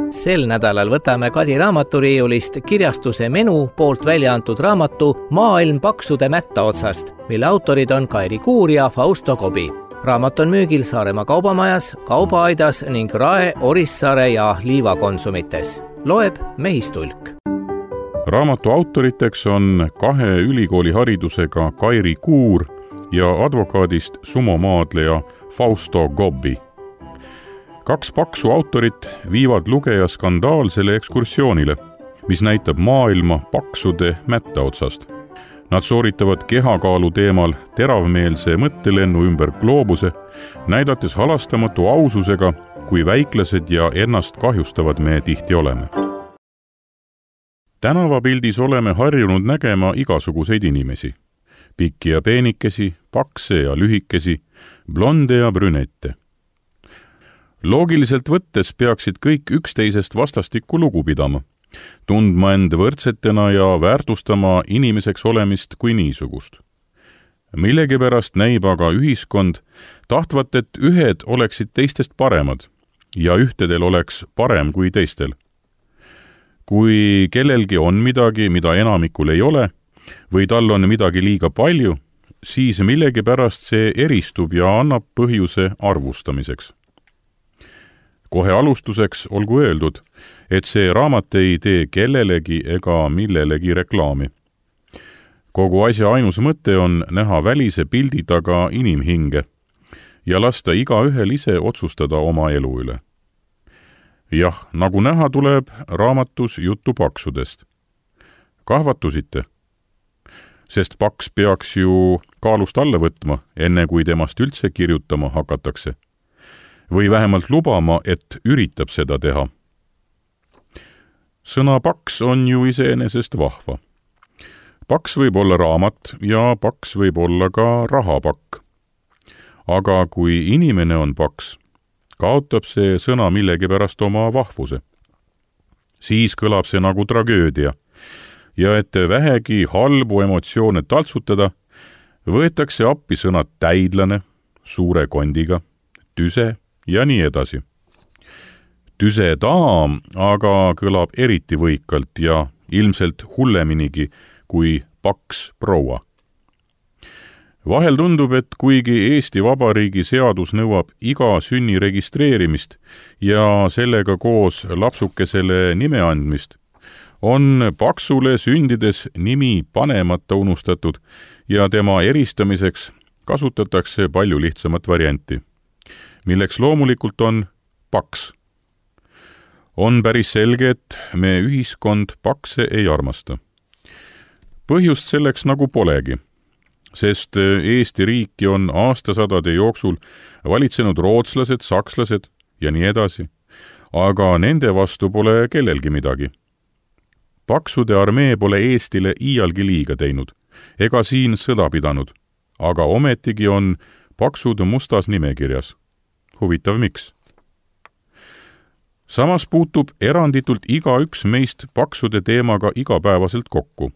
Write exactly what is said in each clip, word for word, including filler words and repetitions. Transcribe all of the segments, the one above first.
Sel nädalal võtame Kadi raamaturiiulist kirjastuse Menu poolt välja antud raamatu Maailm paksude mätta otsast, mille autorid on Kairi Kuur ja Fausto Kobi. Raamat on müügil Saaremaa kaubamajas, Kaubaaidas ning Rae, Orissaare ja Liiva konsumites. Loeb Mehistulk. Raamatu autoriteks on kahe ülikooli haridusega Kairi Kuur ja advokaadist sumomaadleja Fausto Kobi. Kaks paksu autorit viivad lugeja skandaalsele ekskursioonile, mis näitab maailma paksude mätta otsast. Nad sooritavad kehakaalu teemal teravmeelse mõttelennu ümber gloobuse, näidates halastamatu aususega, kui väiklased ja ennast kahjustavad me tihti oleme. Tänavapildis oleme harjunud nägema igasuguseid inimesi. Pikki ja peenikesi, pakse ja lühikesi, blonde ja brünette. Loogiliselt võttes peaksid kõik üksteisest vastastikku lugu pidama, tundma end võrdsetena ja väärtustama inimeseks olemist kui niisugust. Millegipärast näib aga ühiskond tahtvat, et ühed oleksid teistest paremad ja ühtedel oleks parem kui teistel. Kui kellelgi on midagi, mida enamikul ei ole, või tal on midagi liiga palju, siis millegipärast see eristub ja annab põhjuse arvustamiseks. Kohe alustuseks olgu öeldud, et see raamat ei tee kellelegi ega millelegi reklaami. Kogu asja ainus mõte on näha välise pildi taga inimhinge ja lasta igaühel ise otsustada oma elu üle. Jah, nagu näha tuleb raamatus juttu paksudest. Kahvatusite? Sest paks peaks ju kaalust alla võtma, enne kui temast üldse kirjutama hakatakse. Või vähemalt lubama, et üritab seda teha. Sõna paks on ju iseenesest vahva. Paks võib olla raamat ja paks võib olla ka rahapakk. Aga kui inimene on paks, kaotab see sõna millegipärast oma vahvuse. Siis kõlab see nagu tragöödia ja et vähegi halbu emotsioone taltsutada, võetakse appi sõnad täidlane, suure kondiga, tüse ja nii edasi. Tüse daam aga kõlab eriti võikalt ja ilmselt hulleminigi kui paks proua. Vahel tundub, et kuigi Eesti Vabariigi seadus nõuab iga sünni registreerimist ja sellega koos lapsukesele nime andmist, on paksule sündides nimi panemata unustatud ja tema eristamiseks kasutatakse palju lihtsamat varianti, milleks loomulikult on paks. On päris selge, et me ühiskond pakse ei armasta. Põhjust selleks nagu polegi, sest Eesti riiki on aastasadade jooksul valitsenud rootslased, sakslased ja nii edasi, aga nende vastu pole kellelgi midagi. Paksude armee pole Eestile iialgi liiga teinud, ega siin sõda pidanud, aga ometigi on paksud mustas nimekirjas. Huvitav miks? Samas puutub eranditult igaüks meist paksude teemaga igapäevaselt kokku.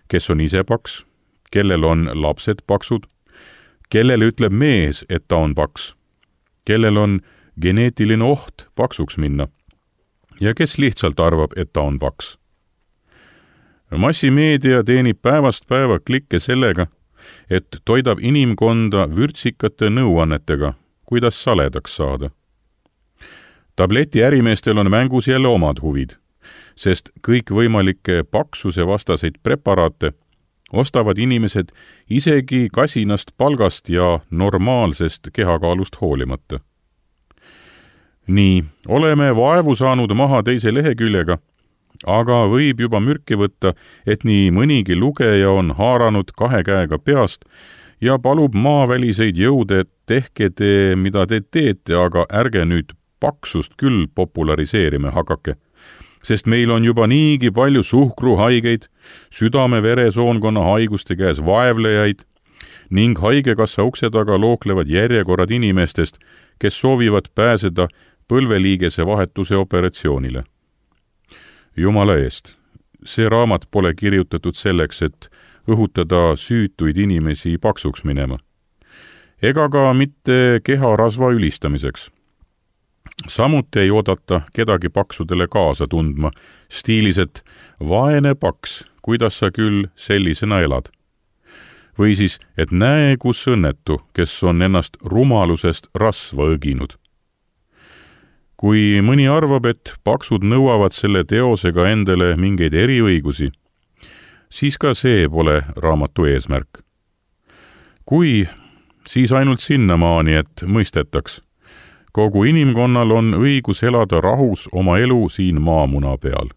Kes on ise paks, kellel on lapsed paksud, kellele ütleb mees, et ta on paks, kellel on geneetiline oht paksuks minna ja kes lihtsalt arvab, et ta on paks. Massimeedia teenib päevast päeva klikke sellega, et toidab inimkonda vürtsikate nõuannetega, kuidas saledaks saada. Tableti ärimeestel on mängus jälle omad huvid, sest kõikvõimalikke paksuse vastaseid preparaate ostavad inimesed isegi kasinast palgast ja normaalsest kehakaalust hoolimata. Nii, oleme vaevu saanud maha teise leheküljega, aga võib juba mürki võtta, et nii mõnigi lugeja on haaranud kahe käega peast ja palub maaväliseid jõude, et tehke te, mida te teete, aga ärge nüüd paksust küll populariseerime hakake, sest meil on juba niigi palju suhkruhaigeid, südame-veresoonkonna haiguste käes vaevlejaid ning haigekassa ukse taga looklevad järjekorrad inimestest, kes soovivad pääseda põlveliigese vahetuse operatsioonile. Jumala eest, see raamat pole kirjutatud selleks, et õhutada süütuid inimesi paksuks minema, ega ka mitte keharasva ülistamiseks. samuti ei oodata kedagi paksudele kaasa tundma, stiilis, et vaene paks, kuidas sa küll sellisena elad. Või siis, et näe, kus õnnetu, kes on ennast rumalusest rasva õginud. Kui mõni arvab, et paksud nõuavad selle teosega endale mingeid eriõigusi, siis ka see pole raamatu eesmärk. Kui, siis ainult sinnamaani, et mõistetaks. Kogu inimkonnal on õigus elada rahus oma elu siin maamuna peal.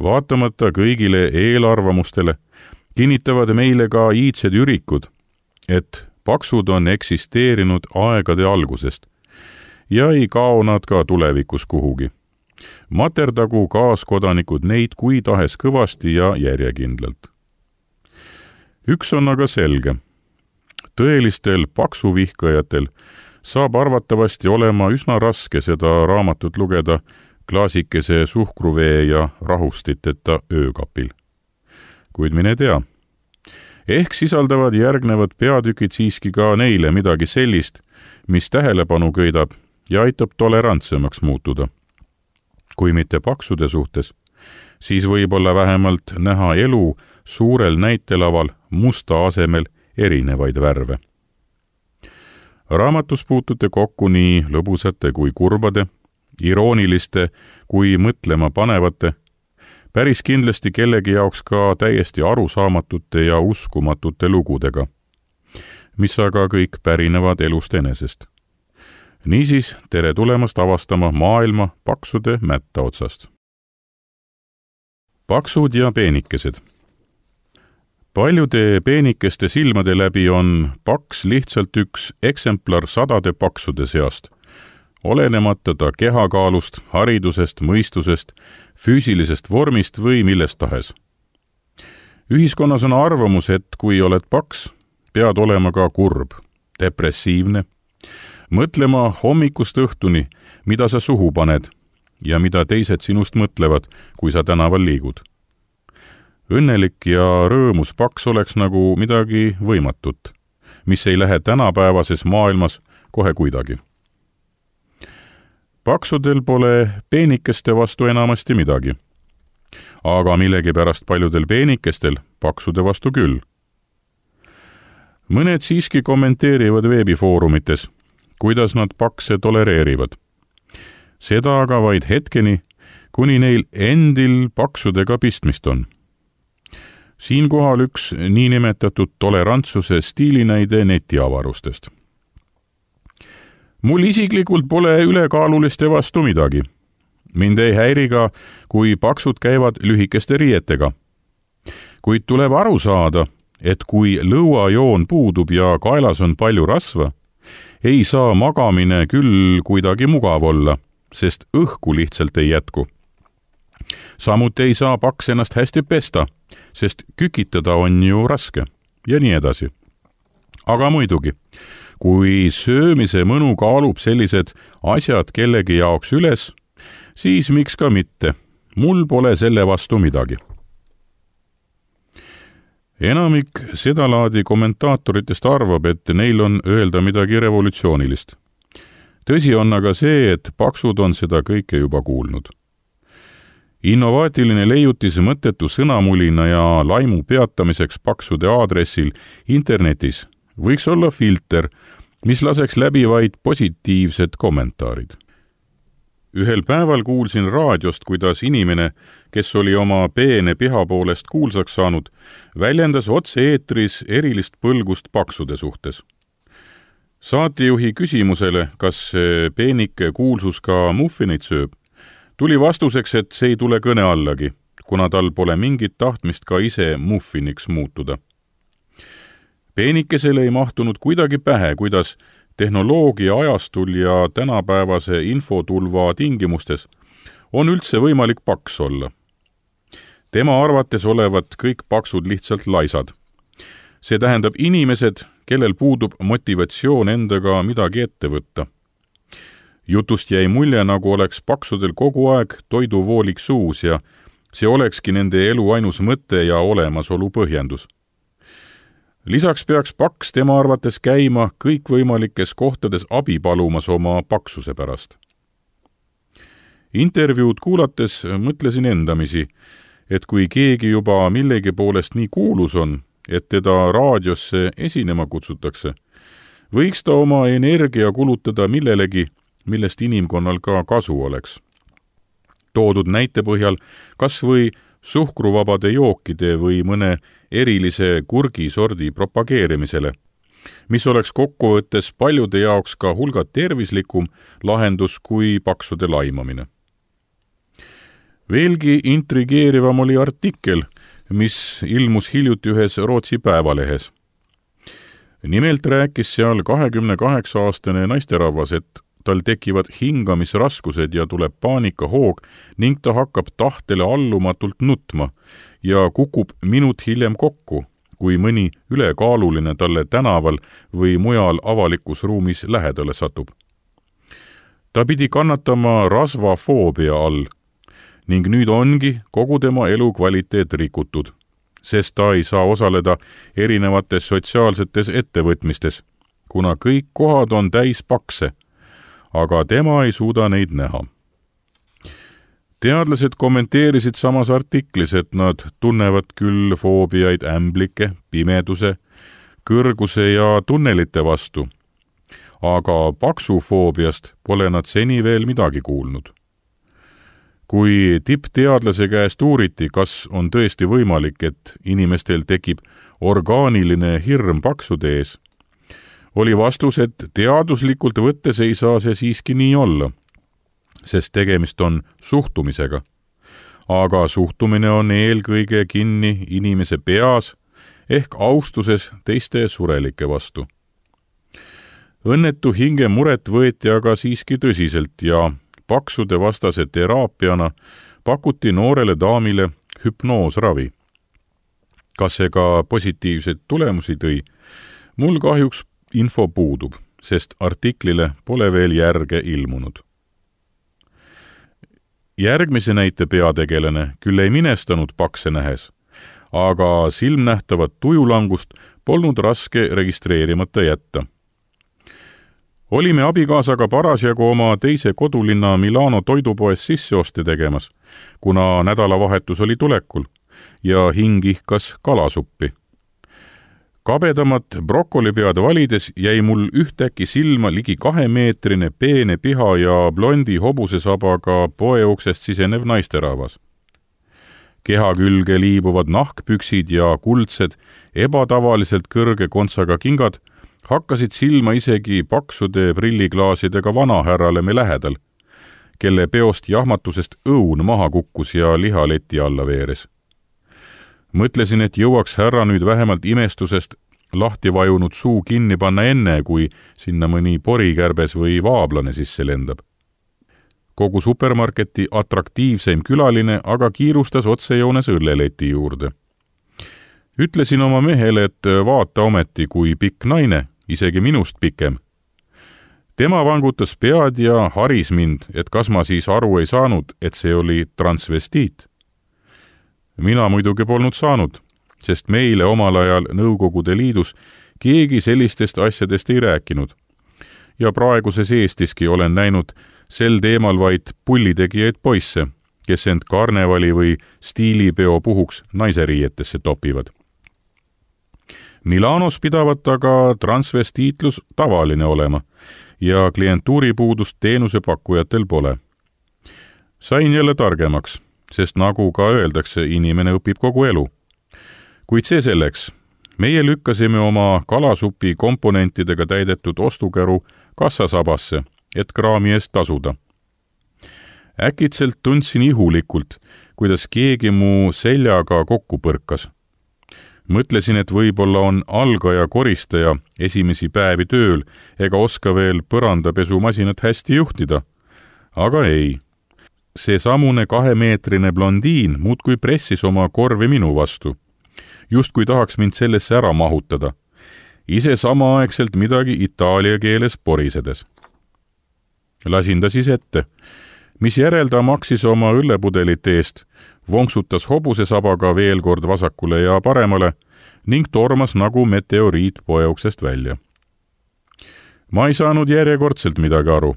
Vaatamata kõigile eelarvamustele kinnitavad meile ka iidsed ürikud, et paksud on eksisteerinud aegade algusest ja ei kao nad ka tulevikus kuhugi. Materdagu kaaskodanikud neid kui tahes kõvasti ja järjekindlalt. Üks on aga selge. Tõelistel paksuvihkajatel saab arvatavasti olema üsna raske seda raamatut lugeda klaasikese suhkruvee ja rahustiteta öökapil. Kuid mine tea. Ehk sisaldavad järgnevad peatükid siiski ka neile midagi sellist, mis tähelepanu köidab ja aitab tolerantsemaks muutuda. Kui mitte paksude suhtes, siis võib-olla vähemalt näha elu suurel näitelaval musta asemel erinevaid värve. Raamatus puutute kokku nii lõbusate kui kurbade, irooniliste kui mõtlema panevate, päris kindlasti kellegi jaoks ka täiesti arusaamatute ja uskumatute lugudega, mis aga kõik pärinevad elust enesest. Niisiis, tere tulemast avastama maailma paksude mätta otsast. Paksud ja peenikesed. Paljude peenikeste silmade läbi on paks lihtsalt üks eksemplar sadade paksude seast, olenemata ta kehakaalust, haridusest, mõistusest, füüsilisest vormist või millest tahes. Ühiskonnas on arvamus, et kui oled paks, pead olema ka kurb, depressiivne, mõtlema hommikust õhtuni, mida sa suhu paned ja mida teised sinust mõtlevad, kui sa tänaval liigud. Õnnelik ja rõõmus paks oleks nagu midagi võimatut, mis ei lähe tänapäevases maailmas kohe kuidagi. Paksudel pole peenikeste vastu enamasti midagi, aga millegipärast paljudel peenikestel paksude vastu küll. Mõned siiski kommenteerivad veebifoorumites, kuidas nad pakse tolereerivad. Seda aga vaid hetkeni, kuni neil endil paksudega pistmist on. Siinkohal üks niinimetatud tolerantsuse stiilinäide netiavarustest. Mul isiklikult pole ülekaaluliste vastu midagi. Mind ei häiri ka, kui paksud käivad lühikeste riietega. Kuid tuleb aru saada, et kui lõuajoon puudub ja kaelas on palju rasva, ei saa magamine küll kuidagi mugav olla, sest õhku lihtsalt ei jätku. Samuti ei saa paks ennast hästi pesta, sest kükitada on ju raske ja nii edasi. Aga muidugi, kui söömise mõnu kaalub sellised asjad kellegi jaoks üles, siis miks ka mitte. Mul pole selle vastu midagi. Enamik sedalaadi kommentaatoritest arvab, et neil on öelda midagi revolutsioonilist. Tõsi on aga see, et paksud on seda kõike juba kuulnud. Innovaatiline leiutis mõttetu sõnamulina ja laimu peatamiseks paksude aadressil internetis võiks olla filter, mis laseks läbi vaid positiivsed kommentaarid. Ühel päeval kuulsin raadiost, kuidas inimene, kes oli oma peene piha poolest kuulsaks saanud, väljendas otse-eetris erilist põlgust paksude suhtes. Saatejuhi küsimusele, kas peenike kuulsus ka muffineid sööb, tuli vastuseks, et see ei tule kõne allagi, kuna tal pole mingit tahtmist ka ise muffiniks muutuda. Peenikesele ei mahtunud kuidagi pähe, kuidas tehnoloogia ajastul ja tänapäevase infotulva tingimustes on üldse võimalik paks olla. Tema arvates olevat kõik paksud lihtsalt laisad. See tähendab inimesed, kellel puudub motivatsioon endaga midagi ette võtta. Jutust jäi mulje, nagu oleks paksudel kogu aeg toiduvoolik suus ja see olekski nende elu ainus mõte ja olemasolu põhjendus. Lisaks peaks paks tema arvates käima kõikvõimalikes kohtades abi palumas oma paksuse pärast. Intervjuud kuulates mõtlesin endamisi, et kui keegi juba millegi poolest nii kuulus on, et teda raadiosse esinema kutsutakse, võiks ta oma energia kulutada millelegi, millest inimkonnal ka kasu oleks. Toodud näite põhjal kas või suhkruvabade jookide või mõne erilise kurgisordi propageerimisele, mis oleks kokkuvõttes paljude jaoks ka hulga tervislikum lahendus kui paksude laimamine. Veelgi intrigeerivam oli artikkel, mis ilmus hiljuti ühes Rootsi päevalehes. Nimelt rääkis seal kahekümne kaheksa aastane naisterahvas, et tal tekivad hingamisraskused ja tuleb paanikahoog ning ta hakkab tahtele allumatult nutma ja kukub minut hiljem kokku, kui mõni ülekaaluline talle tänaval või mujal avalikus ruumis lähedale satub. Ta pidi kannatama rasvafoobia all ning nüüd ongi kogu tema elukvaliteet rikutud, sest ta ei saa osaleda erinevates sotsiaalsetes ettevõtmistes, kuna kõik kohad on täis pakse, aga tema ei suuda neid näha. Teadlased kommenteerisid samas artiklis, et nad tunnevad küll foobiaid ämblike, pimeduse, kõrguse ja tunnelite vastu, aga paksufoobiast pole nad seni veel midagi kuulnud. Kui tippteadlase käest uuriti, kas on tõesti võimalik, et inimestel tekib orgaaniline hirm paksude ees, oli vastus, et teaduslikult võttes ei saa see siiski nii olla, sest tegemist on suhtumisega. Aga suhtumine on eelkõige kinni inimese peas ehk austuses teiste surelike vastu. Õnnetu hinge muret võeti aga siiski tõsiselt ja paksude vastase teraapiana pakuti noorele daamile hüpnoosravi. Kas see ka positiivseid tulemusi tõi? Mul kahjuks info puudub, sest artiklile pole veel järge ilmunud. Järgmise näite peategelane küll ei minestanud pakse nähes, aga silmnähtavat tujulangust polnud raske registreerimata jätta. Olime abikaasaga parasjagu oma teise kodulinna Milano toidupoes sisseoste tegemas, kuna nädalavahetus oli tulekul ja hing ihkas kalasuppi. Kabedamat brokolipead valides jäi mul ühtäkki silma ligi kahemeetrine peene piha ja blondi hobusesabaga poeuksest sisenev naisterahvas. Keha külge liibuvad nahkpüksid ja kuldsed, ebatavaliselt kõrge kontsaga kingad hakkasid silma isegi paksude prilliklaasidega vanahärrale me lähedal, kelle peost jahmatusest õun maha kukkus ja lihaleti alla veeres. Mõtlesin, et jõuaks härra nüüd vähemalt imestusest lahti vajunud suu kinni panna enne, kui sinna mõni porikärbes või vaablane sisse lendab. Kogu supermarketi atraktiivseim külaline aga kiirustas otsejoones õlleleti juurde. Ütlesin oma mehele, et vaata ometi, kui pikk naine, isegi minust pikem. Tema vangutas pead ja haris mind, et kas ma siis aru ei saanud, et see oli transvestiit. Mina muidugi polnud saanud, sest meile omal ajal Nõukogude Liidus keegi sellistest asjadest ei rääkinud. Ja praeguses Eestiski olen näinud sel teemal vaid pullitegijaid poisse, kes end karnevali või stiilipeo puhuks naiseriietesse topivad. Milanos pidavat aga transvestiitlus tavaline olema ja klientuuripuudust teenusepakkujatel pole. Sain jälle targemaks, sest nagu ka öeldakse, inimene õpib kogu elu. Kuid see selleks, meie lükkasime oma kalasupi komponentidega täidetud ostukäru kassasabasse, et kraami eest tasuda. Äkitselt tundsin ihulikult, kuidas keegi mu seljaga kokku põrkas. Mõtlesin, et võib-olla on algaja koristaja esimesi päevi tööl ega oska veel põrandapesumasinat hästi juhtida. Aga ei. See samune kahemeetrine blondiin muudkui pressis oma korvi minu vastu. Just kui tahaks mind sellesse ära mahutada. Ise samaaegselt midagi itaalia keeles porisedes. Lasin ta siis ette. Mis järel ta maksis oma õllepudelit eest, vonksutas hobusesabaga veel kord vasakule ja paremale ning tormas nagu meteoriit poeuksest välja. Ma ei saanud järjekordselt midagi aru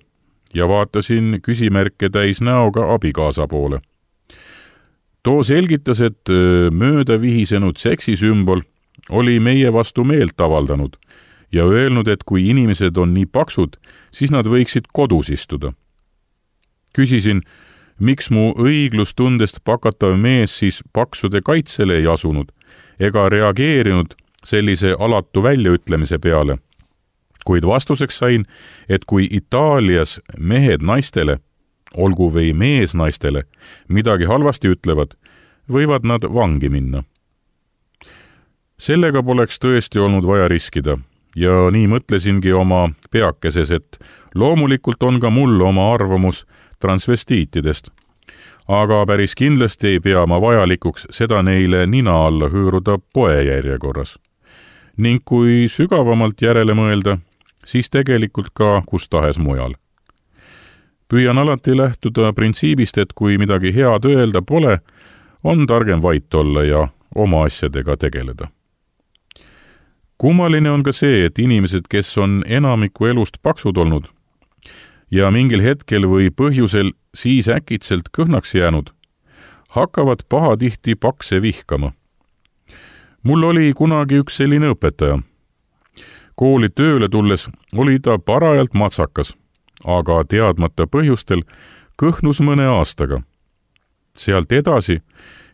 ja vaatasin küsimärke täis näoga abikaasa poole. Too selgitas, et mööda vihisenud seksisümbol oli meie vastu meelt avaldanud ja öelnud, et kui inimesed on nii paksud, siis nad võiksid kodus istuda. Küsisin, miks mu õiglustundest pakatav mees siis paksude kaitsele ei asunud ega reageerinud sellise alatu väljaütlemise peale. Kuid vastuseks sain, et kui Itaalias mehed naistele, olgu või mees naistele, midagi halvasti ütlevad, võivad nad vangi minna. Sellega poleks tõesti olnud vaja riskida ja nii mõtlesingi oma peakeses, et loomulikult on ka mul oma arvamus transvestiitidest, aga päris kindlasti ei pea ma vajalikuks seda neile nina alla hüüruda poe järjekorras. Ning kui sügavamalt järele mõelda, siis tegelikult ka kus tahes mujal. Püüan alati lähtuda printsiibist, et kui midagi head öelda pole, on targem vait olla ja oma asjadega tegeleda. Kummaline on ka see, et inimesed, kes on enamiku elust paksud olnud ja mingil hetkel või põhjusel siis äkitselt kõhnaks jäänud, hakkavad pahatihti pakse vihkama. Mul oli kunagi üks selline õpetaja. Kooli tööle tulles oli ta parajalt matsakas, aga teadmata põhjustel kõhnus mõne aastaga. Sealt edasi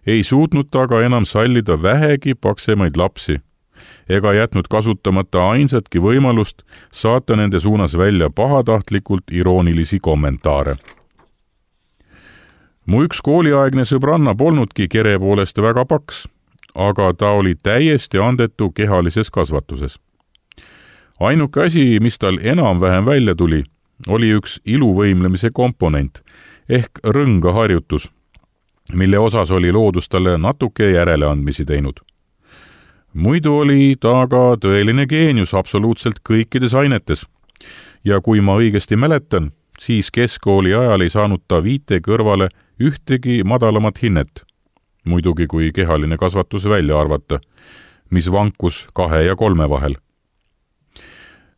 ei suutnud ta aga enam sallida vähegi paksemaid lapsi ega jätnud kasutamata ainsatki võimalust saata nende suunas välja pahatahtlikult iroonilisi kommentaare. Mu üks kooliaegne sõbranna polnudki kere poolest väga paks, aga ta oli täiesti andetu kehalises kasvatuses. Ainuke asi, mis tal enam-vähem välja tuli, oli üks iluvõimlemise komponent ehk rõngaharjutus, mille osas oli loodus talle natuke järeleandmisi teinud. Muidu oli ta aga tõeline geenius absoluutselt kõikides ainetes ja kui ma õigesti mäletan, siis keskkooli ajal ei saanud ta viite kõrvale ühtegi madalamat hinnet, muidugi kui kehaline kasvatus välja arvata, mis vankus kahe ja kolme vahel.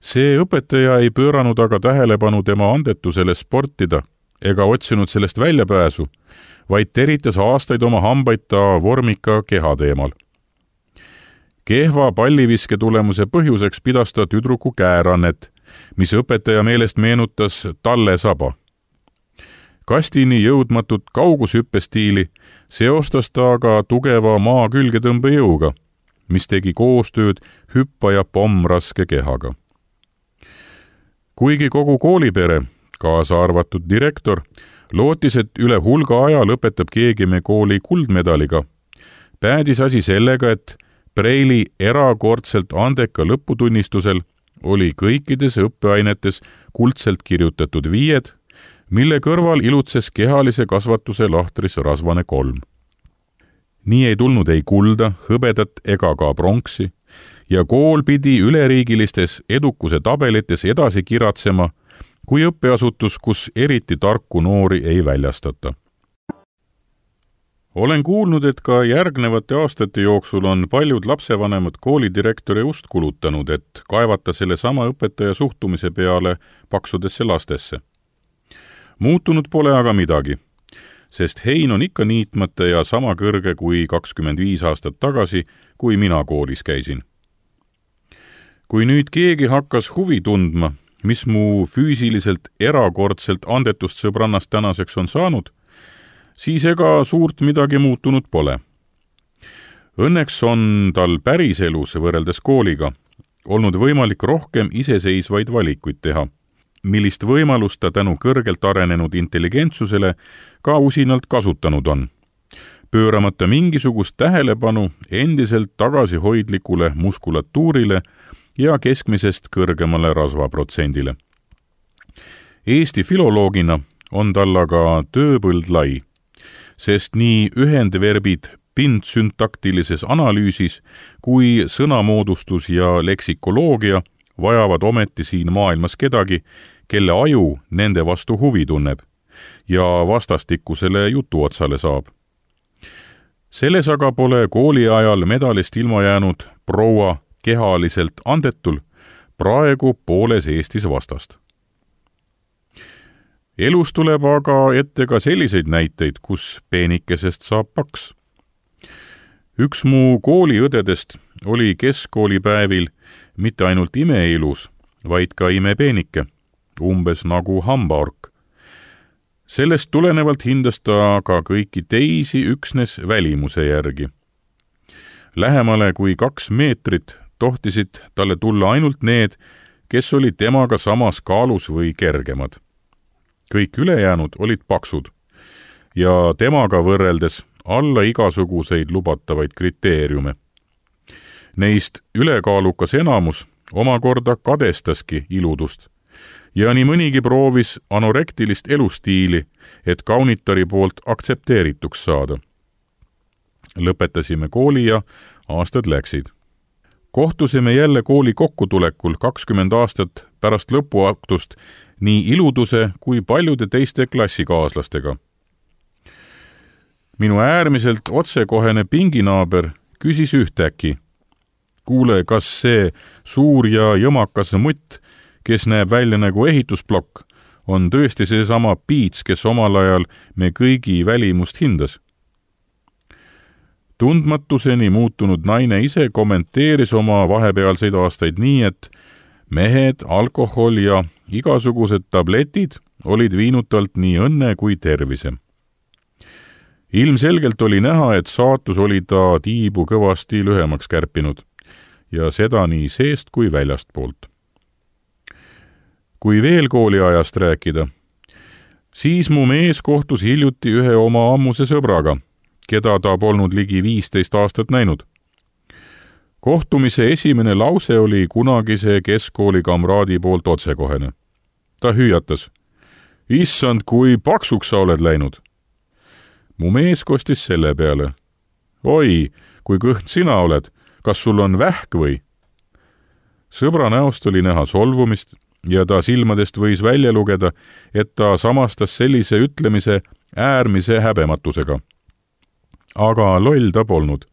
See õpetaja ei pööranud aga tähelepanu tema andetusele sportida ega otsinud sellest väljapääsu, vaid teritas aastaid oma hambaid ta vormika keha teemal. Kehva palliviske tulemuse põhjuseks pidas ta tüdruku käärannet, mis õpetaja meelest meenutas talle saba. Kastini jõudmatut kaugushüppestiili seostas ta aga tugeva maa külgetõmbejõuga, mis tegi koostööd hüppaja pommraske kehaga. Kuigi kogu koolipere, kaasa arvatud direktor, lootis, et üle hulga aja lõpetab keegi me kooli kuldmedaliga, päädis asi sellega, et Preili erakordselt andeka lõputunnistusel oli kõikides õppeainetes kuldselt kirjutatud viied, mille kõrval ilutses kehalise kasvatuse lahtris rasvane kolm. Nii ei tulnud ei kulda, hõbedat ega ka pronksi ja kool pidi üleriigilistes edukuse tabelites edasi kiratsema kui õppeasutus, kus eriti tarku noori ei väljastata. Olen kuulnud, et ka järgnevate aastate jooksul on paljud lapsevanemad koolidirektori ust kulutanud, et kaevata selle sama õpetaja suhtumise peale paksudesse lastesse. Muutunud pole aga midagi, sest hein on ikka niitmata ja sama kõrge kui kakskümmend viis aastat tagasi, kui mina koolis käisin. Kui nüüd keegi hakkas huvi tundma, mis mu füüsiliselt erakordselt andetust sõbrannast tänaseks on saanud, siis ega suurt midagi muutunud pole. Õnneks on tal päriselus võrreldes kooliga olnud võimalik rohkem iseseisvaid valikuid teha, millist võimalust ta tänu kõrgelt arenenud intelligentsusele ka usinalt kasutanud on, pööramata mingisugust tähelepanu endiselt tagasihoidlikule muskulatuurile ja keskmisest kõrgemale rasvaprotsendile. Eesti filoloogina on tal aga tööpõld lai, sest nii ühendverbid pindsüntaktilises analüüsis kui sõnamoodustus ja leksikoloogia vajavad ometi siin maailmas kedagi, kelle aju nende vastu huvi tunneb ja vastastikusele jutuotsale saab. Selles aga pole kooli ajal medalist ilma jäänud proua kehaliselt andetul praegu pooles Eestis vastast. elus tuleb aga ette ka selliseid näiteid, kus peenikesest saab paks. Üks mu kooliõdedest oli keskkoolipäevil mitte ainult imeilus, vaid ka imepeenike, umbes nagu hambaork. Sellest tulenevalt hindas ta ka kõiki teisi üksnes välimuse järgi. Lähemale kui kaks meetrit tohtisid talle tulla ainult need, kes olid temaga samas kaalus või kergemad. Kõik ülejäänud olid paksud ja temaga võrreldes alla igasuguseid lubatavaid kriteeriume. Neist ülekaalukas enamus omakorda kadestaski iludust ja nii mõnigi proovis anorektilist elustiili, et kaunitari poolt aktsepteerituks saada. Lõpetasime kooli ja aastad läksid. Kohtusime jälle kooli kokkutulekul kakskümmend aastat pärast lõpuaktust nii iluduse kui paljude teiste klassikaaslastega. Minu äärmiselt otsekohene pinginaaber küsis ühtäkki: kuule, kas see suur ja jõmakas mutt, kes näeb välja nagu ehitusplokk, on tõesti see sama Piits, kes omal ajal me kõigi välimust hindas? Tundmatuseni muutunud naine ise kommenteeris oma vahepealseid aastaid nii, et mehed, alkohol ja igasugused tabletid olid viinud talt nii õnne kui tervise. Ilmselgelt oli näha, et saatus oli ta tiibu kõvasti lühemaks kärpinud ja seda nii seest kui väljast poolt. Kui veel kooliajast rääkida, siis mu mees kohtus hiljuti ühe oma ammuse sõbraga, keda ta polnud ligi viisteist aastat näinud. Kohtumise esimene lause oli kunagise keskkooli kamraadi poolt otsekohene. Ta hüüatas: issand, kui paksuks sa oled läinud! Mu mees kostis selle peale: oi, kui kõht sina oled, kas sul on vähk või? Sõbra näost oli näha solvumist ja ta silmadest võis välja lugeda, et ta samastas sellise ütlemise äärmise häbematusega. Aga loll ta polnud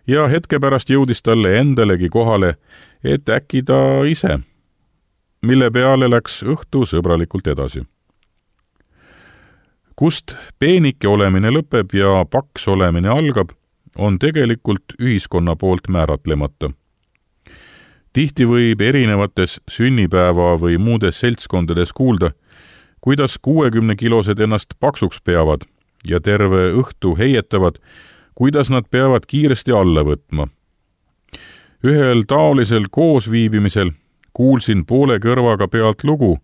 ja hetke pärast jõudis talle endalegi kohale, et äkki ta ise, mille peale läks õhtu sõbralikult edasi. Kust peenike olemine lõpeb ja paks olemine algab, on tegelikult ühiskonna poolt määratlemata. Tihti võib erinevates sünnipäeva või muudes seltskondades kuulda, kuidas kuuekümne kilosed ennast paksuks peavad ja terve õhtu heietavad, kuidas nad peavad kiiresti alla võtma. Ühel taolisel koosviibimisel kuulsin poole kõrvaga pealt lugu,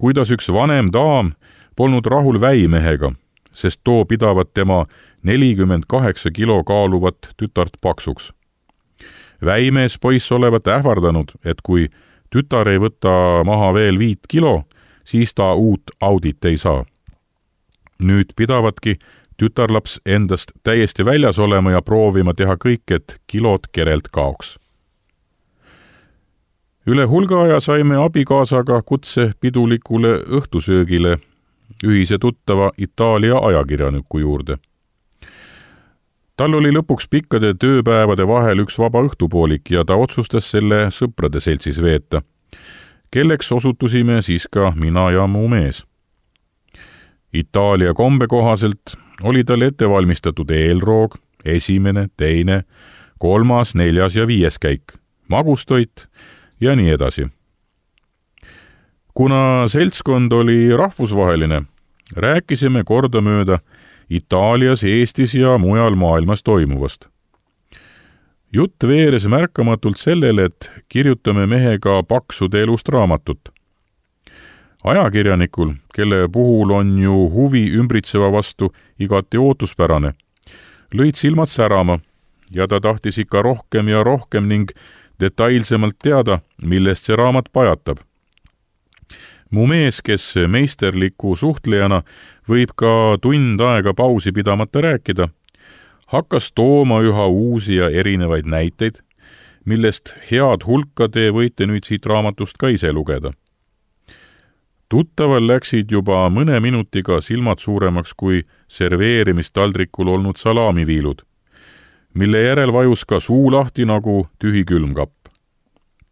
kuidas üks vanem daam polnud rahul väimehega, sest too pidavat tema nelikümmend kaheksa kilo kaaluvat tütart paksuks. Väimees poiss olevat ähvardanud, et kui tütar ei võta maha veel viit kilo, siis ta uut audit ei saa. Nüüd pidavatki tütarlaps endast täiesti väljas olema ja proovima teha kõik, et kilod kerelt kaoks. Üle hulga aja saime abikaasaga kutse pidulikule õhtusöögile ühise tuttava Itaalia ajakirjaniku juurde. Tal oli lõpuks pikkade tööpäevade vahel üks vaba õhtupoolik ja ta otsustas selle sõprade seltsis veeta, kelleks osutusime siis ka mina ja mu mees. Itaalia kombe kohaselt oli tal ette valmistatud eelroog, esimene, teine, kolmas, neljas ja viies käik, magustoit ja nii edasi. Kuna seltskond oli rahvusvaheline, rääkisime kordamööda Itaalias, Eestis ja mujal maailmas toimuvast. Jutt veeres märkamatult sellele, et kirjutame mehega paksude elust raamatut. Ajakirjanikul, kelle puhul on ju huvi ümbritseva vastu igati ootuspärane, lõid silmad särama ja ta tahtis ikka rohkem ja rohkem ning detailsemalt teada, millest see raamat pajatab. Mu mees, kes meisterliku suhtlejana võib ka tund aega pausi pidamata rääkida, hakkas tooma üha uusi ja erinevaid näiteid, millest head hulka te võite nüüd siit raamatust ka ise lugeda. Tuttaval läksid juba mõne minutiga silmad suuremaks kui serveerimistaldrikul olnud salamiviilud, mille järel vajus ka suu lahti nagu tühi külmkapp.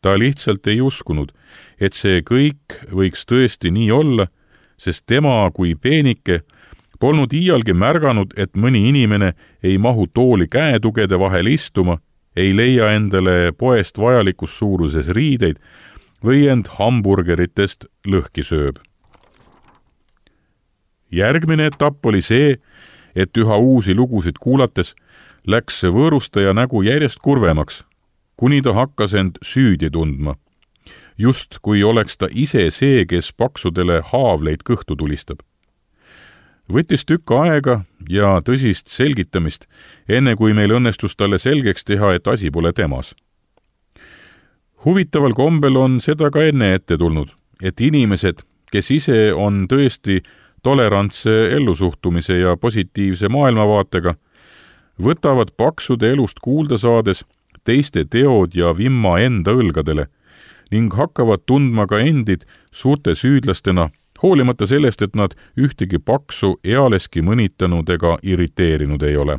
Ta lihtsalt ei uskunud, et see kõik võiks tõesti nii olla sest tema kui peenike polnud iialgi märganud, et mõni inimene ei mahu tooli käetugede vahel istuma, ei leia endale poest vajalikus suuruses riideid või end hamburgeritest lõhki sööb. Järgmine etapp oli see, et üha uusi lugusid kuulates läks võõrustaja nägu järjest kurvemaks, kuni ta hakkas end süüdi tundma. Just kui oleks ta ise see, kes paksudele haavleid kõhtu tulistab. Võttis tükk aega ja tõsist selgitamist, enne kui meil õnnestus talle selgeks teha, et asi pole temas. Huvitaval kombel on seda ka enne ette tulnud, et inimesed, kes ise on tõesti tolerantse ellusuhtumise ja positiivse maailmavaatega, võtavad paksude elust kuulda saades teiste teod ja vimma enda õlgadele ning hakkavad tundma ka endid suurte süüdlastena, hoolimata sellest, et nad ühtegi paksu ealeski mõnitanud ega irriteerinud ei ole.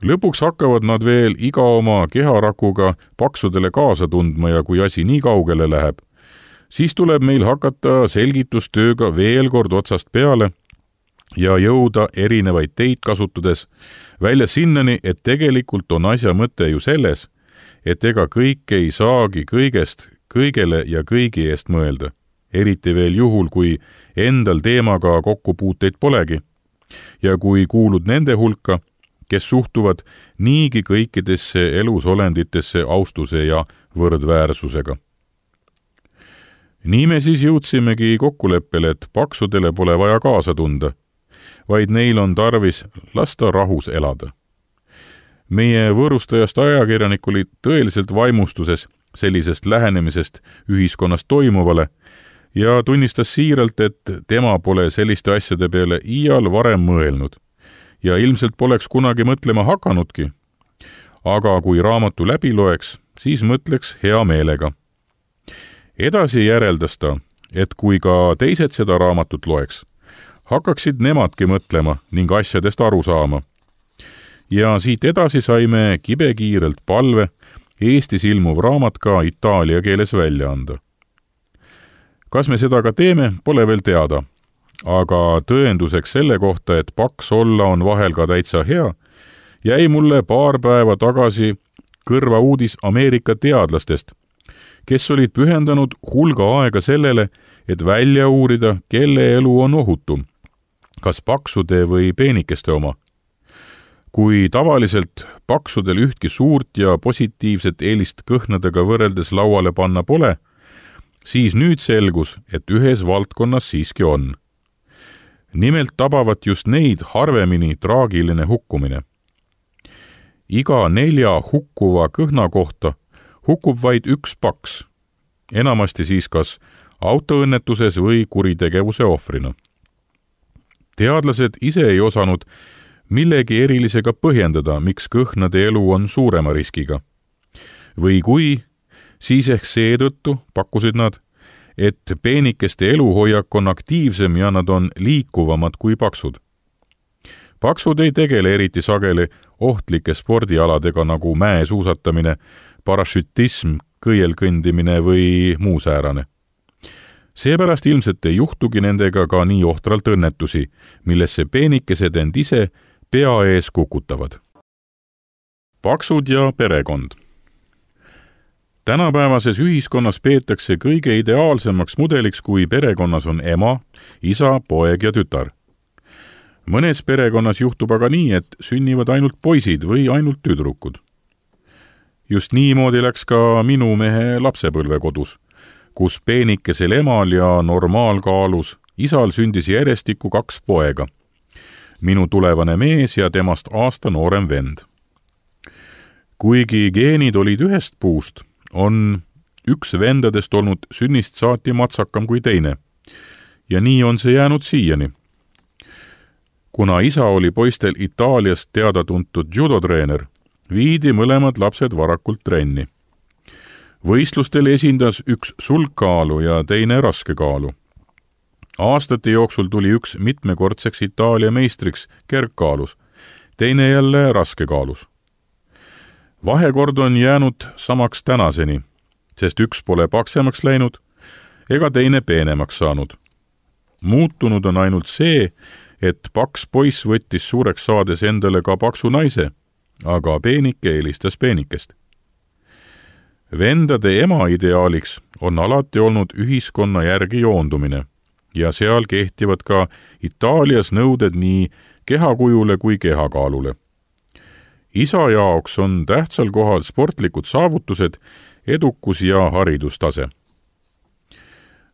Lõpuks hakkavad nad veel iga oma keharakuga paksudele kaasa tundma ja kui asi nii kaugele läheb, siis tuleb meil hakata selgitustööga veel kord otsast peale ja jõuda erinevaid teid kasutades välja sinnani, et tegelikult on asja mõte ju selles, et ega kõik ei saagi kõigest kõigele ja kõigi eest mõelda, eriti veel juhul, kui endal teemaga kokkupuuteid polegi ja kui kuulud nende hulka, kes suhtuvad niigi kõikidesse elusolenditesse austuse ja võrdväärsusega. Nii me siis jõudsimegi kokkuleppele, et paksudele pole vaja kaasa tunda, vaid neil on tarvis lasta rahus elada. Meie võõrustajast ajakirjanik oli tõeliselt vaimustuses sellisest lähenemisest ühiskonnas toimuvale ja tunnistas siiralt, et tema pole selliste asjade peale iial varem mõelnud ja ilmselt poleks kunagi mõtlema hakanudki. Aga kui raamatu läbi loeks, siis mõtleks hea meelega. Edasi järeldas ta, et kui ka teised seda raamatut loeks, hakkaksid nemadki mõtlema ning asjadest aru saama. Ja siit edasi saime kibekiirelt palve Eestis ilmuv raamat ka itaalia keeles välja anda. Kas me seda ka teeme, pole veel teada, aga tõenduseks selle kohta, et paks olla on vahel ka täitsa hea, jäi mulle paar päeva tagasi kõrva uudis Ameerika teadlastest, kes olid pühendanud hulga aega sellele, et välja uurida, kelle elu on ohutum, kas paksude või peenikeste oma. Kui tavaliselt paksudel ühtki suurt ja positiivset eelist kõhnadega võrreldes lauale panna pole, siis nüüd selgus, et ühes valdkonnas siiski on. Nimelt tabavat just neid harvemini traagiline hukkumine. Iga nelja hukkuva kõhna kohta hukkub vaid üks paks, enamasti siis kas autoõnnetuses või kuritegevuse ohvrina. Teadlased ise ei osanud millegi erilisega põhjendada, miks kõhnade elu on suurema riskiga. Või kui, siis ehk seetõttu pakkusid nad, et peenikeste eluhoiak on aktiivsem ja nad on liikuvamad kui paksud. Paksud ei tegele eriti sageli ohtlike spordialadega nagu mäesuusatamine, parašütism, kõielkõndimine või muu säärane. Seepärast ilmselt ei juhtugi nendega ka nii ohtralt õnnetusi, millesse peenikesed end ise pea ees kukutavad. Paksud ja perekond. Tänapäevases ühiskonnas peetakse kõige ideaalsemaks mudeliks, kui perekonnas on ema, isa, poeg ja tütar. Mõnes perekonnas juhtub aga nii, et sünnivad ainult poisid või ainult tüdrukud. Just niimoodi läks ka minu mehe lapsepõlvekodus, kus peenikesel emal ja normaalkaalus isal sündis järjestikku kaks poega, minu tulevane mees ja temast aasta noorem vend. Kuigi geenid olid ühest puust, on üks vendadest olnud sünnist saati matsakam kui teine ja nii on see jäänud siiani. Kuna isa oli poistel Itaaliast teada-tuntud judotreener, viidi mõlemad lapsed varakult trenni. Võistlustel esindas üks sulgkaalu ja teine raskekaalu. Aastate jooksul tuli üks mitmekordseks Itaalia meistriks kergkaalus, teine jälle raskekaalus. Vahekord on jäänud samaks tänaseni, sest üks pole paksemaks läinud ega teine peenemaks saanud. Muutunud on ainult see, et paks poiss võttis suureks saades endale ka paksu naise, aga peenike eelistas peenikest. Vendade ema ideaaliks on alati olnud ühiskonna järgi joondumine ja seal kehtivad ka Itaalias nõuded nii kehakujule kui kehakaalule. Isa jaoks on tähtsal kohal sportlikud saavutused, edukus ja haridustase.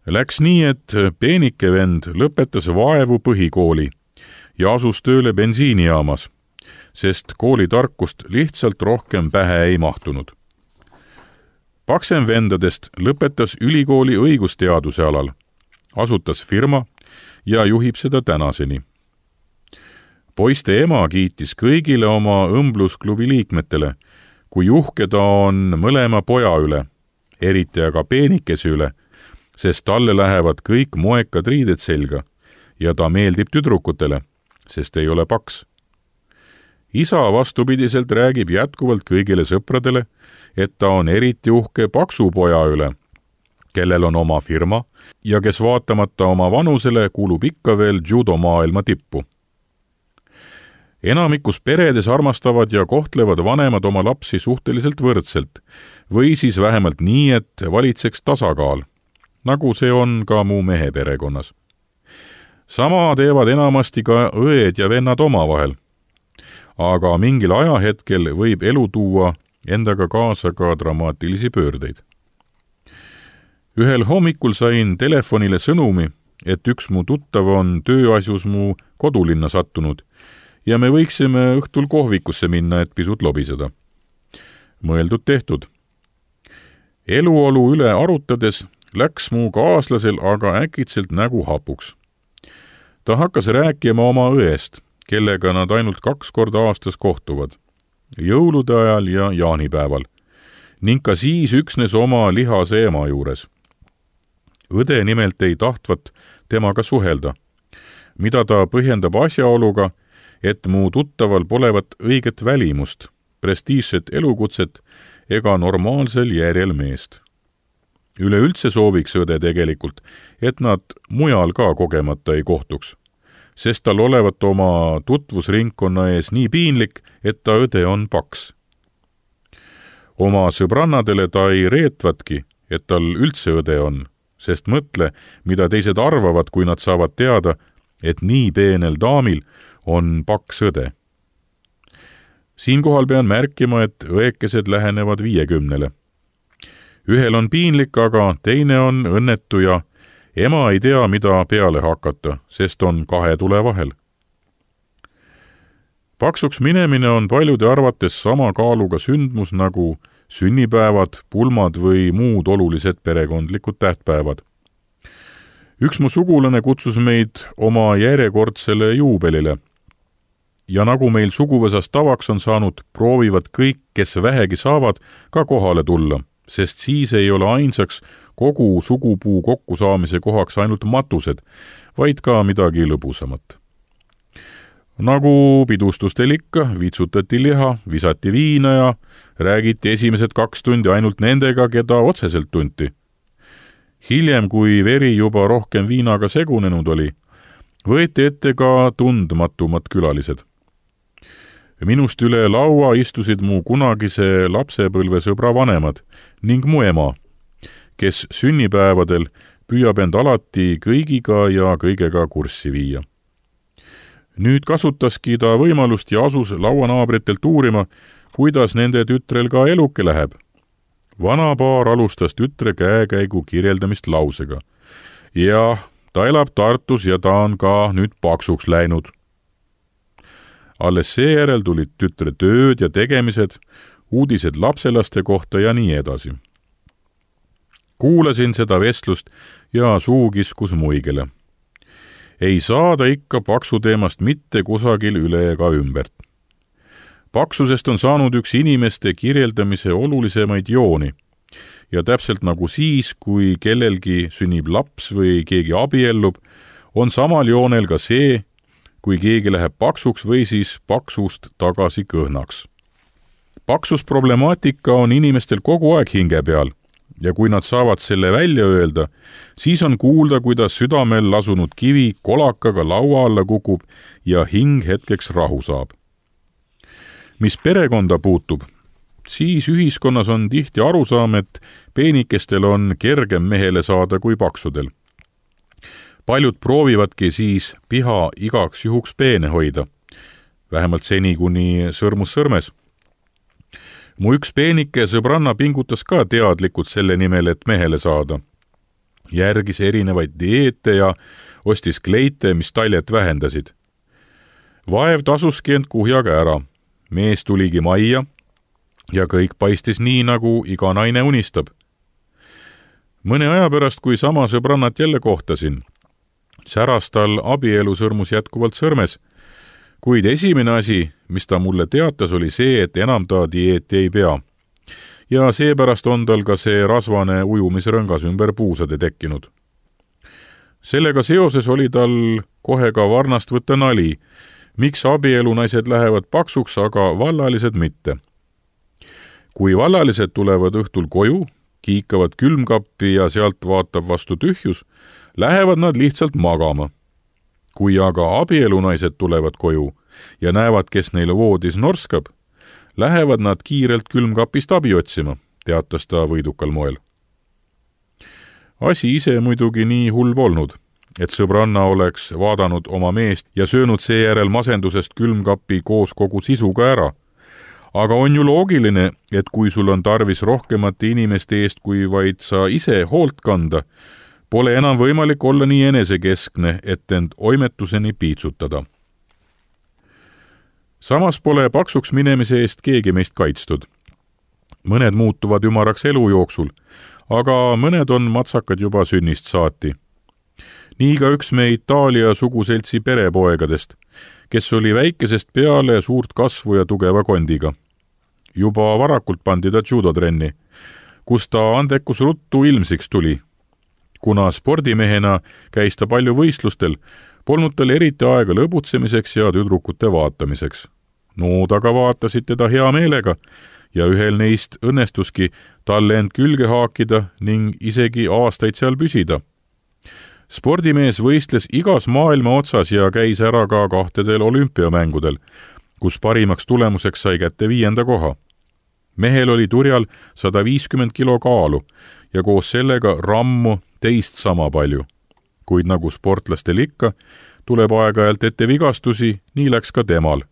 Läks nii, et peenike vend lõpetas vaevu põhikooli ja asus tööle bensiinijaamas, sest koolitarkust lihtsalt rohkem pähe ei mahtunud. Paksem vendadest lõpetas ülikooli õigusteaduse alal, asutas firma ja juhib seda tänaseni. Poiste ema kiitis kõigile oma õmblusklubi liikmetele, kui uhke ta on mõlema poja üle, eriti aga peenikese üle, sest talle lähevad kõik moekad riided selga ja ta meeldib tüdrukutele, sest ei ole paks. Isa vastupidiselt räägib jätkuvalt kõigile sõpradele, et ta on eriti uhke paksu poja üle, kellel on oma firma ja kes vaatamata oma vanusele kuulub ikka veel judomaailma tippu. Enamikus peredes armastavad ja kohtlevad vanemad oma lapsi suhteliselt võrdselt või siis vähemalt nii, et valitseks tasakaal, nagu see on ka mu mehe perekonnas. Sama teevad enamasti ka õed ja vennad omavahel, aga mingil ajahetkel võib elu tuua endaga kaasa ka dramaatilisi pöördeid. Ühel hommikul sain telefonile sõnumi, et üks mu tuttav on tööasjus mu kodulinna sattunud ja me võiksime õhtul kohvikusse minna, et pisut lobiseda. Mõeldud tehtud. Eluolu üle arutades läks mu kaaslasel aga äkitselt nägu hapuks. Ta hakkas rääkima oma õest, kellega nad ainult kaks korda aastas kohtuvad, jõulude ajal ja jaanipäeval, ning ka siis üksnes oma lihase ema juures. Õde nimelt ei tahtvat temaga suhelda, mida ta põhjendab asjaoluga, et mu tuttaval polevat õiget välimust, prestiižset elukutset ega normaalsel järjel meest. Üleüldse sooviks õde tegelikult, et nad mujal ka kogemata ei kohtuks, sest tal olevat oma tutvusringkonna ees nii piinlik, et ta õde on paks. Oma sõbrannadele ta ei reetvatki, et tal üldse õde on, sest mõtle, mida teised arvavad, kui nad saavad teada, et nii peenel daamil on paks õde. Siinkohal pean märkima, et õekesed lähenevad viiekümnele. Ühel on piinlik, aga teine on õnnetu ja ema ei tea, mida peale hakata, sest on kahe tule vahel. Paksuks minemine on paljude arvates sama kaaluga sündmus nagu sünnipäevad, pulmad või muud olulised perekondlikud tähtpäevad. Üks mu sugulane kutsus meid oma järjekordsele juubelile. Ja nagu meil suguvõsas tavaks on saanud, proovivad kõik, kes vähegi saavad, ka kohale tulla, sest siis ei ole ainsaks kogu sugupuu kokkusaamise kohaks ainult matused, vaid ka midagi lõbusamat. Nagu pidustustel ikka, vitsutati liha, visati viina ja räägiti esimesed kaks tundi ainult nendega, keda otseselt tunti. Hiljem, kui veri juba rohkem viinaga segunenud oli, võeti ette ka tundmatumad külalised. Minust üle laua istusid mu kunagise lapsepõlvesõbra vanemad ning mu ema, kes sünnipäevadel püüab end alati kõigiga ja kõigega kurssi viia. Nüüd kasutaski ta võimalust ja asus lauanaabritelt uurima, kuidas nende tütrel ka eluke läheb. Vanapaar alustas tütre käekäigu kirjeldamist lausega. Jah, ta elab Tartus ja ta on ka nüüd paksuks läinud. Alles seejärel tulid tütre tööd ja tegemised, uudised lapselaste kohta ja nii edasi. Kuulasin seda vestlust ja suu kiskus muigele. Ei saada ikka paksu teemast mitte kusagil üle ega ümbert. Paksusest on saanud üks inimeste kirjeldamise olulisemaid jooni ja täpselt nagu siis, kui kellelgi sünnib laps või keegi abiellub, on samal joonel ka see, kui keegi läheb paksuks või siis paksust tagasi kõhnaks. Paksusproblemaatika on inimestel kogu aeg hinge peal ja kui nad saavad selle välja öelda, siis on kuulda, kuidas südamel lasunud kivi kolakaga laua alla kukub ja hing hetkeks rahu saab. Mis perekonda puutub, siis ühiskonnas on tihti arusaam, et peenikestel on kergem mehele saada kui paksudel. Paljud proovivadki siis piha igaks juhuks peene hoida, vähemalt seni kuni sõrmus sõrmes. Mu üks peenike sõbranna pingutas ka teadlikult selle nimel, et mehele saada. Järgis erinevaid dieete ja ostis kleite, mis taljet vähendasid. Vaev tasuski end kuhjaga ära. Mees tuligi majja ja kõik paistis nii, nagu iga naine unistab. Mõne aja pärast, kui sama sõbrannat jälle kohtasin, säras tal abielu sõrmus jätkuvalt sõrmes, kuid esimene asi, mis ta mulle teatas, oli see, et enam ta dieeti ei pea. Ja seepärast on tal ka see rasvane ujumisrõngas ümber puusade tekkinud. Sellega seoses oli tal kohe ka varnast võtta nali, miks abielunaised lähevad paksuks, aga vallalised mitte. Kui vallalised tulevad õhtul koju, kiikavad külmkappi ja sealt vaatab vastu tühjus, lähevad nad lihtsalt magama. Kui aga abielunaised tulevad koju ja näevad, kes neile voodis norskab, lähevad nad kiirelt külmkapist abi otsima, teatas ta võidukal moel. Asi ise muidugi nii hull polnud, et sõbranna oleks vaadanud oma meest ja söönud seejärel masendusest külmkapi koos kogu sisuga ära. Aga on ju loogiline, et kui sul on tarvis rohkemate inimeste eest, kui vaid sa ise hoolt kanda, pole enam võimalik olla nii enesekeskne, et end oimetuseni piitsutada. Samas pole paksuks minemise eest keegi meist kaitstud. Mõned muutuvad ümaraks elu jooksul, aga mõned on matsakad juba sünnist saati. Nii ka üks me Itaalia suguseltsi perepoegadest, kes oli väikesest peale suurt kasvu ja tugeva kondiga. Juba varakult pandi ta judotrenni, kus ta andekus ruttu ilmsiks tuli. Kuna spordimehena käis ta palju võistlustel, polnud tal eriti aega lõbutsemiseks ja tüdrukute vaatamiseks. Nood aga vaatasid teda hea meelega ja ühel neist õnnestuski talle end külge haakida ning isegi aastaid seal püsida. Spordimees võistles igas maailma otsas ja käis ära ka kahtedel olümpiamängudel, kus parimaks tulemuseks sai kätte viienda koha. Mehel oli turjal sada viiskümmend kilo kaalu ja koos sellega rammu teist sama palju. Kuid nagu sportlastel ikka, tuleb aeg-ajalt ette vigastusi, nii läks ka temal.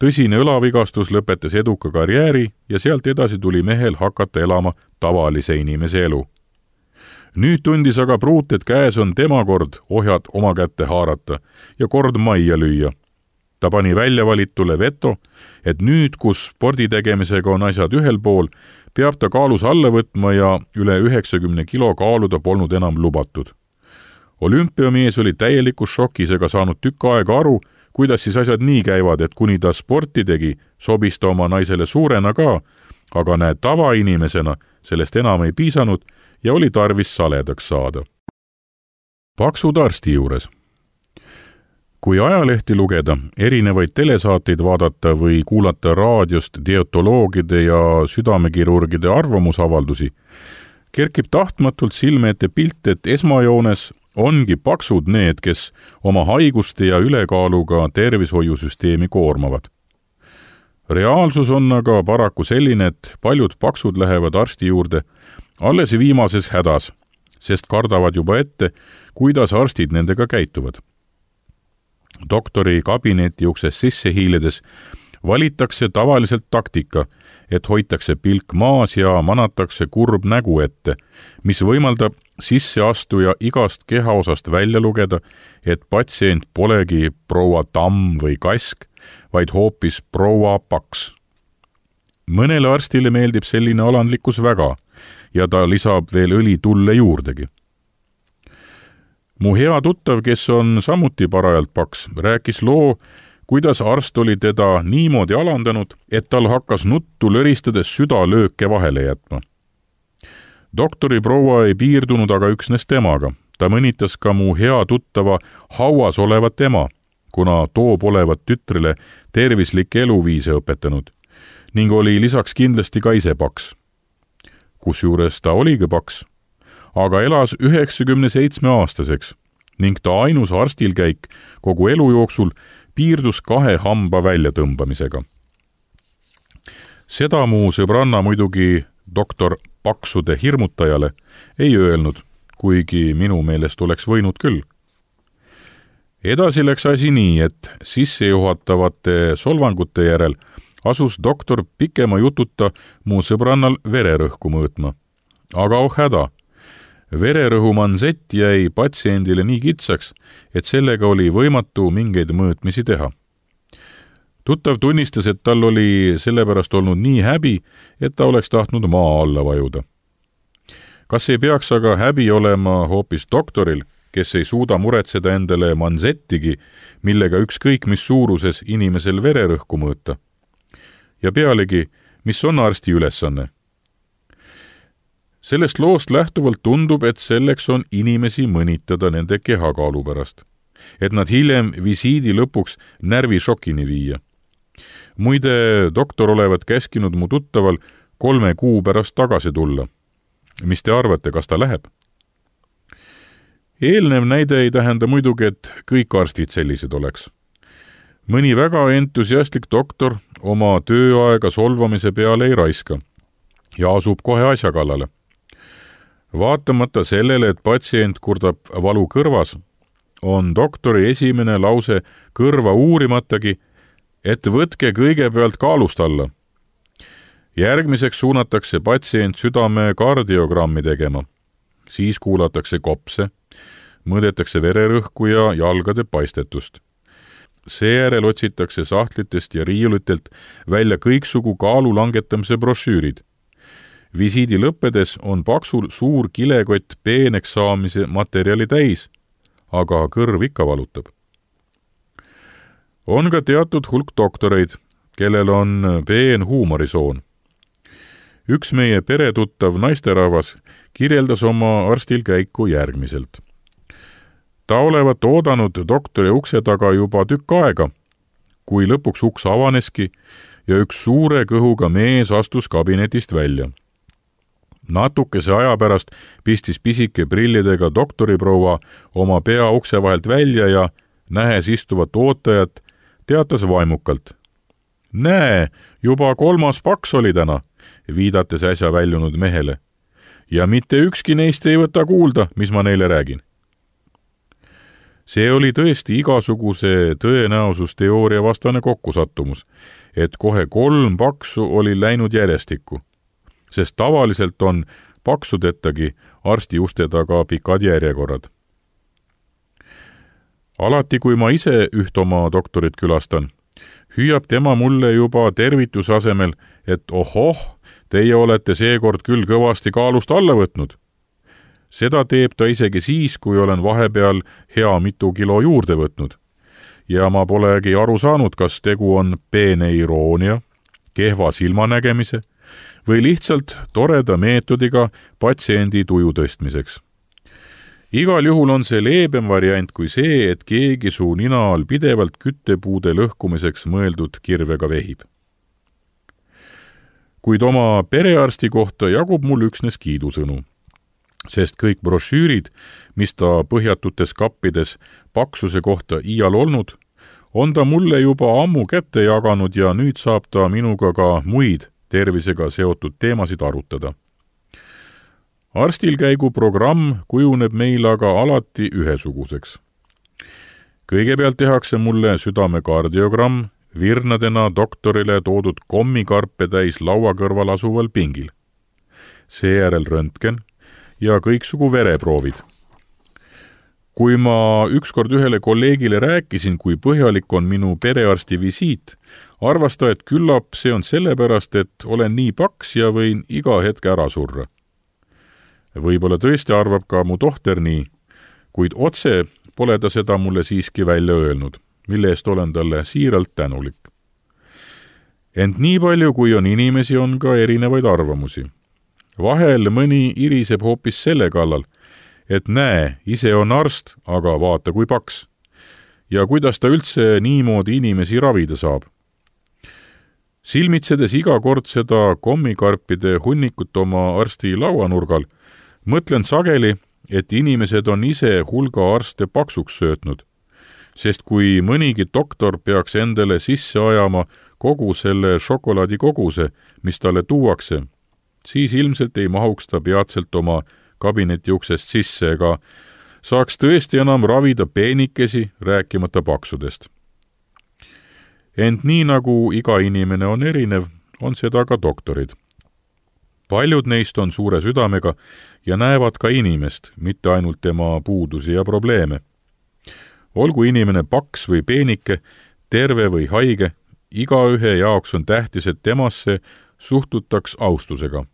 Tõsine õlavigastus lõpetas eduka karjääri ja sealt edasi tuli mehel hakata elama tavalise inimese elu. Nüüd tundis aga pruut, et käes on tema kord ohjad oma kätte haarata ja kord majja lüüa. Ta pani välja valitule veto, et nüüd, kus sporditegemisega on asjad ühel pool, peab ta kaalus alla võtma ja üle üheksakümne kilo kaaluda polnud enam lubatud. Olümpiamees oli täielikus šokis ega saanud tükk aega aru, kuidas siis asjad nii käivad, et kuni ta sporti tegi, sobis ta oma naisele suurena ka, aga näed tavainimesena sellest enam ei piisanud ja oli tarvis saledaks saada. Paksud arsti juures. Kui ajalehti lugeda, erinevaid telesaateid vaadata või kuulata raadiost dietoloogide ja südamekirurgide arvamusavaldusi, kerkib tahtmatult silme ette pilt, et esmajoones ongi paksud need, kes oma haiguste ja ülekaaluga tervishoiusüsteemi koormavad. Reaalsus on aga paraku selline, et paljud paksud lähevad arsti juurde alles viimases hädas, sest kardavad juba ette, kuidas arstid nendega käituvad. Doktori kabineti ukses sisse hiiledes valitakse tavaliselt taktika, et hoitakse pilk maas ja manatakse kurb nägu ette, mis võimaldab sisseastuja igast kehaosast välja lugeda, et patsient polegi proua Tamm või Kask, vaid hoopis proua Paks. Mõnele arstile meeldib selline alandlikkus väga ja ta lisab veel õli tulle juurdegi. Mu hea tuttav, kes on samuti parajalt paks, rääkis loo, kuidas arst oli teda niimoodi alandanud, et tal hakkas nuttu lõristades südalööke vahele jätma. Doktori proua ei piirdunud aga üksnes temaga. Ta mõnitas ka mu hea tuttava hauas olevat ema, kuna too polevat tütrile tervislikke eluviise õpetanud ning oli lisaks kindlasti ka ise paks. kusjuures ta oligi paks, aga elas üheksakümne seitsme aastaseks ning ta ainus arstilkäik kogu elu jooksul piirdus kahe hamba väljatõmbamisega. Seda mu sõbranna muidugi doktor Paksude hirmutajale ei öelnud, kuigi minu meelest oleks võinud küll. Edasi läks asi nii, et sissejuhatavate solvangute järel asus doktor pikema jututa mu sõbrannal vererõhku mõõtma. Aga oh häda, vererõhu mansett jäi patsiendile nii kitsaks, et sellega oli võimatu mingeid mõõtmisi teha. Tuttav tunnistas, et tal oli sellepärast olnud nii häbi, et ta oleks tahtnud maa alla vajuda. Kas ei peaks aga häbi olema hoopis doktoril, kes ei suuda muretseda endale mansettigi, millega ükskõik mis suuruses inimesel vererõhku mõõta? Ja pealegi, mis on arsti ülesanne? Sellest loost lähtuvalt tundub, et selleks on inimesi mõnitada nende kehakaalu pärast, et nad hiljem visiidi lõpuks närvišokini viia. Muide, doktor olevat käskinud mu tuttaval kolme kuu pärast tagasi tulla. Mis te arvate, kas ta läheb? Eelnev näide ei tähenda muidugi, et kõik arstid sellised oleks. Mõni väga entusiastlik doktor oma tööaega solvamise peale ei raiska ja asub kohe asja kallale. Vaatamata sellele, et patsient kurdab valu kõrvas, on doktori esimene lause kõrva uurimatagi, et võtke kõigepealt kaalust alla. Järgmiseks suunatakse patsient südame kardiogrammi tegema. Siis kuulatakse kopse, mõõdetakse vererõhku ja jalgade paistetust. Seejärel otsitakse sahtlitest ja riiulitelt välja kõiksugu kaalu langetamise brošüürid. Visiidi lõppedes on paksul suur kilekott peeneks saamise materjali täis, aga kõrv ikka valutab. On ka teatud hulk doktoreid, kellel on peen huumorisoon. Üks meie peretuttav naisterahvas kirjeldas oma arstil käiku järgmiselt. Ta olevat oodanud doktori ukse taga juba tükk aega, kui lõpuks uks avaneski ja üks suure kõhuga mees astus kabinetist välja. Natukese aja pärast pistis pisike prillidega doktoriproua oma pea ukse vahelt välja ja nähes istuvat ootajat, teatas vaimukalt. Näe, juba kolmas paks oli täna, viidates äsja väljunud mehele. Ja mitte ükski neist ei võta kuulda, mis ma neile räägin. See oli tõesti igasuguse tõenäosusteooria vastane kokkusattumus, et kohe kolm paksu oli läinud järjestikku, sest tavaliselt on paksudettagi arsti uste taga pikad järjekorrad. Alati, kui ma ise üht oma doktorit külastan, hüüab tema mulle juba tervituse asemel, et ohoh, teie olete seekord küll kõvasti kaalust alla võtnud. Seda teeb ta isegi siis, kui olen vahepeal hea mitu kilo juurde võtnud. Ja ma polegi aru saanud, kas tegu on peene iroonia, kehva silmanägemise või lihtsalt toreda meetodiga patsiendi tuju tõstmiseks. Igal juhul on see leebem variant kui see, et keegi su nina all pidevalt küttepuude lõhkumiseks mõeldud kirvega vehib. Kuid oma perearsti kohta jagub mul üksnes kiidusõnu, sest kõik brošüürid, mis ta põhjatutes kappides paksuse kohta iial olnud, on ta mulle juba ammu kätte jaganud ja nüüd saab ta minuga ka muid tervisega seotud teemasid arutada. Arstilkäigu programm kujuneb meil aga alati ühesuguseks. Kõigepealt tehakse mulle südame kardiogramm virnadena doktorile toodud kommikarpe täis laua kõrval asuval pingil. Seejärel röntgen ja kõiksugu vereproovid. Kui ma ükskord ühele kolleegile rääkisin, kui põhjalik on minu perearsti visiit, arvas ta, et küllap see on sellepärast, et olen nii paks ja võin iga hetk ära surra. Võib-olla tõesti arvab ka mu tohter nii, kuid otse pole ta seda mulle siiski välja öelnud, mille eest olen talle siiralt tänulik. Ent nii palju, kui on inimesi, on ka erinevaid arvamusi. Vahel mõni iriseb hoopis selle kallal, et näe, ise on arst, aga vaata kui paks. Ja kuidas ta üldse niimoodi inimesi ravida saab. Silmitsedes iga kord seda kommikarpide hunnikut oma arsti lauanurgal, mõtlen sageli, et inimesed on ise hulga arste paksuks söötnud, sest kui mõnigi doktor peaks endale sisse ajama kogu selle šokolaadikoguse, mis talle tuuakse, siis ilmselt ei mahuks ta peatselt oma kabineti uksest sisse ega saaks tõesti enam ravida peenikesi, rääkimata paksudest. Ent nii nagu iga inimene on erinev, on seda ka doktorid. Paljud neist on suure südamega ja näevad ka inimest, mitte ainult tema puudusi ja probleeme. Olgu inimene paks või peenike, terve või haige, igaühe jaoks on tähtis, et temasse suhtutaks austusega.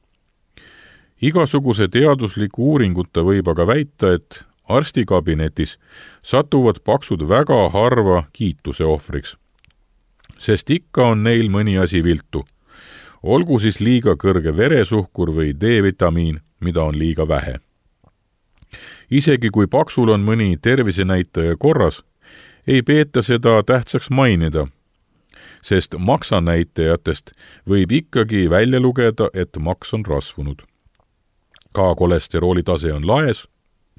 Igasuguse teadusliku uuringuta võib aga väita, et arstikabinetis satuvad paksud väga harva kiituse ohvriks, sest ikka on neil mõni asi viltu. Olgu siis liiga kõrge veresuhkur või D-vitamiin, mida on liiga vähe. Isegi kui paksul on mõni tervisenäitaja korras, ei peeta seda tähtsaks mainida, sest maksanäitajatest võib ikkagi välja lugeda, et maks on rasvunud. Ka kolesterooli tase on laes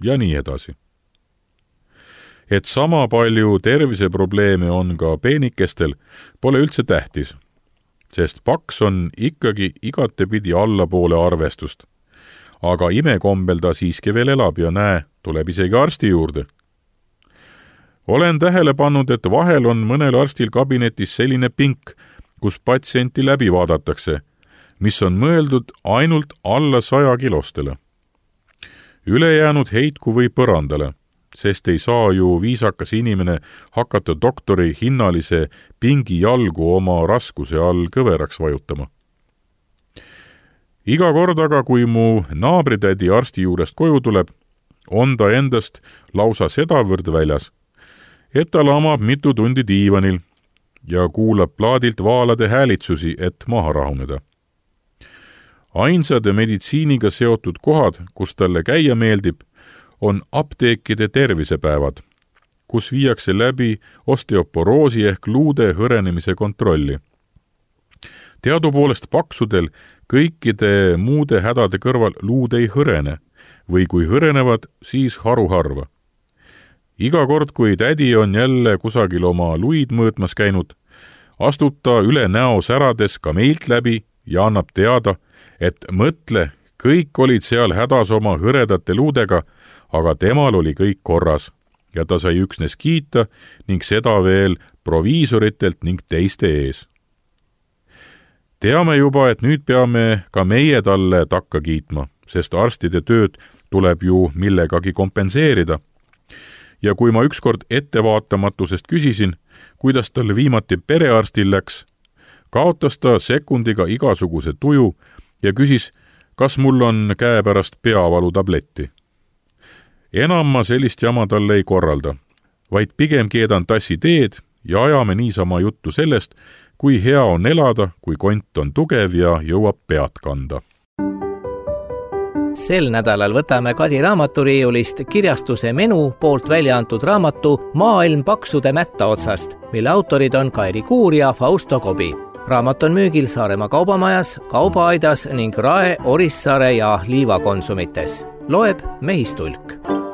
ja nii edasi. Et sama palju terviseprobleeme on ka peenikestel, pole üldse tähtis, sest paks on ikkagi igatepidi allapoole arvestust. Aga imekombel ta siiski veel elab ja näe, tuleb isegi arsti juurde. Olen tähele pannud, et vahel on mõnel arstil kabinetis selline pink, kus patsienti läbi vaadatakse, mis on mõeldud ainult alla saja kilostele. Ülejäänud heitku või põrandale, sest ei saa ju viisakas inimene hakata doktori hinnalise pingi jalgu oma raskuse all kõveraks vajutama. Iga kord aga, kui mu naabritädi arsti juurest koju tuleb, on ta endast lausa sedavõrd väljas, et ta lamab mitu tundi diivanil ja kuulab plaadilt vaalade häälitsusi, et maha rahuneda. Ainsad meditsiiniga seotud kohad, kus talle käia meeldib, on apteekide tervisepäevad, kus viiakse läbi osteoporoosi ehk luude hõrenemise kontrolli. Teadupoolest paksudel kõikide muude hädade kõrval luud ei hõrene või kui hõrenevad, siis haruharva. Iga kord, kui tädi on jälle kusagil oma luid mõõtmas käinud, astub ta üle näo särades ka meilt läbi ja annab teada, et mõtle, kõik olid seal hädas oma hõredate luudega, aga temal oli kõik korras ja ta sai üksnes kiita ning seda veel proviisoritelt ning teiste ees. Teame juba, et nüüd peame ka meie talle takka kiitma, sest arstide tööd tuleb ju millegagi kompenseerida. Ja kui ma ükskord ettevaatamatusest küsisin, kuidas talle viimati perearstil läks, kaotas ta sekundiga igasuguse tuju ja küsis, kas mul on käepärast peavalu tabletti. Enam ma sellist jama talle ei korralda, vaid pigem keedan tassi teed ja ajame niisama juttu sellest, kui hea on elada, kui kont on tugev ja jõuab pead kanda. Sel nädalal võtame Kadi raamaturiiulist kirjastuse Menu poolt välja antud raamatu Maailm paksude mätta otsast, mille autorid on Kairi Kuur ja Fausto Kobi. Raamat on müügil Saaremaa kaubamajas, Kaubaaidas ning Rae, Orissaare ja Liiva konsumites. Loeb Mehistulk.